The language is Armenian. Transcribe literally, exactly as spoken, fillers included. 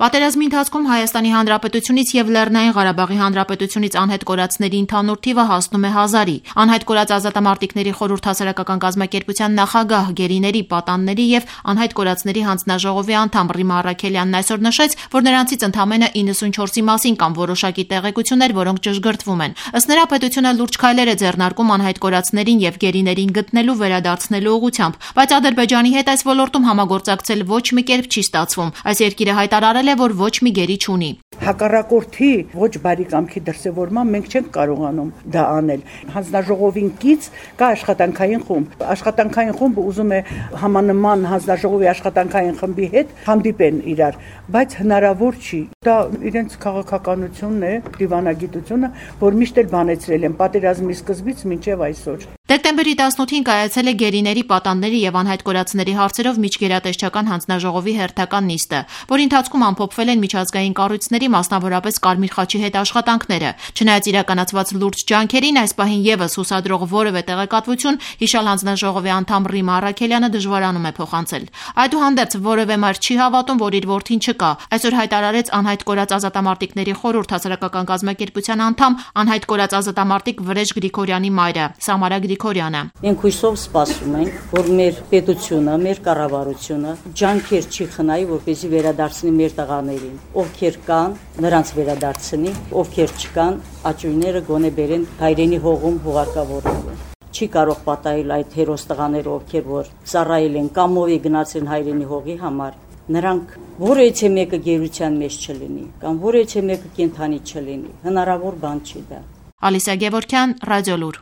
Պատերազմի ընթացքում Հայաստանի Հանրապետությունից և Լեռնային Ղարաբաղի Հանրապետությունից անհետ կորածների ընդհանուր թիվը հասնում է հազարի։ Անհետ կորած ազատամարտիկների խորհուրդ հասարակական կազմակերպության նախագահ, գերիների, պատանների և անհետ կորածների հանձնաժողովի անդամ Ռիմա Առաքելյանն այսօր նշեց, որ նրանցից ընդամենը իննսունչորսի մասին կան որոշակի տեղեկություններ, որոնք ճշգրտվում են։ Ըստ նրա, պետությունը լուրջ քայլեր է ձեռնարկում անհետ կորածներին և գերիներին գտնելու, վերադարձնելու ուղղությամբ, բայց Ադրբեջանի հետ այս ոլորտում համագործակցել ոչ մի կերպ չի ստացվում։ Այս երկիրը հայտարարել է, որ ոչ մի գերի չունի։ Հակառակորդի ոչ բարի կամքի դրսևորման մենք չենք կարողանում դա անել։ Հանձնաժողովին կից կա աշխատանքային խումբ։ Աշխատանքային խումբը ուզում է համանման հանձնաժողովի աշխատանքային խմբի հետ հանդիպեն իրար, բայց հնարավոր չի։ Դա իրենց քաղաքականությունն է, դիվանագիտությունը, որ միշտ էլ բանեցրել են պատերազմի սկզբից մինչև այսօր։ Դեկտեմբերի տասնութին կայացել է գերիների, պատանների և անհայտ կորածների հարցերով միջգերատեսչական հանձնաժողովի հերթական նիստը, որի ընթացքում ամփոփվել են միջազգային կառույցների, մասնավորապես Կարմիր խաչի հետ աշխատանքները։ Չնայած իրականացված լուրջ ջանքերին, այս պահին ևս հուսադրող որևէ տեղեկատվություն հիշյալ հանձնաժողովի անդամ Ռիմա Առաքելյանը դժվարանում է փոխանցել։ Այդուհանդերձ որևէ մայր չի հավատում, որ իր որդին չկա։ Այսօր հայտարարեց անհայտ կորած ազատամարտիկների խորհուրդ հասարակական կազմակերպության անդամ, անհայտ կորած ազատամարտիկ Վրեժ Գրիգորյանի մայրը Սամարա Գրիգորյանը։ Մենք հույսով սպասում ենք, որ մեր պետությունը, մեր կառավարությունը ջանքեր չի խնայի, որպեսզի վերադարձնի մեր տղաներին, ովքեր կան, նրանց վերադարձնի, ովքեր չկան, աճույները գոնե բերեն հայրենի հողում հուղարկավորելու։ Չի կարող պատահել այդ հերոս տղաները, ովքեր որ ծառայել են կամ ով է գնացել հայրենի հողի համար, նրանք որևէ մեկը գերության մեջ չլինի, կամ որևէ մեկը կենդանի չլինի, հնարավոր բան չի դա։ Ալիսա Գևորգյան, Ռադիոլուր։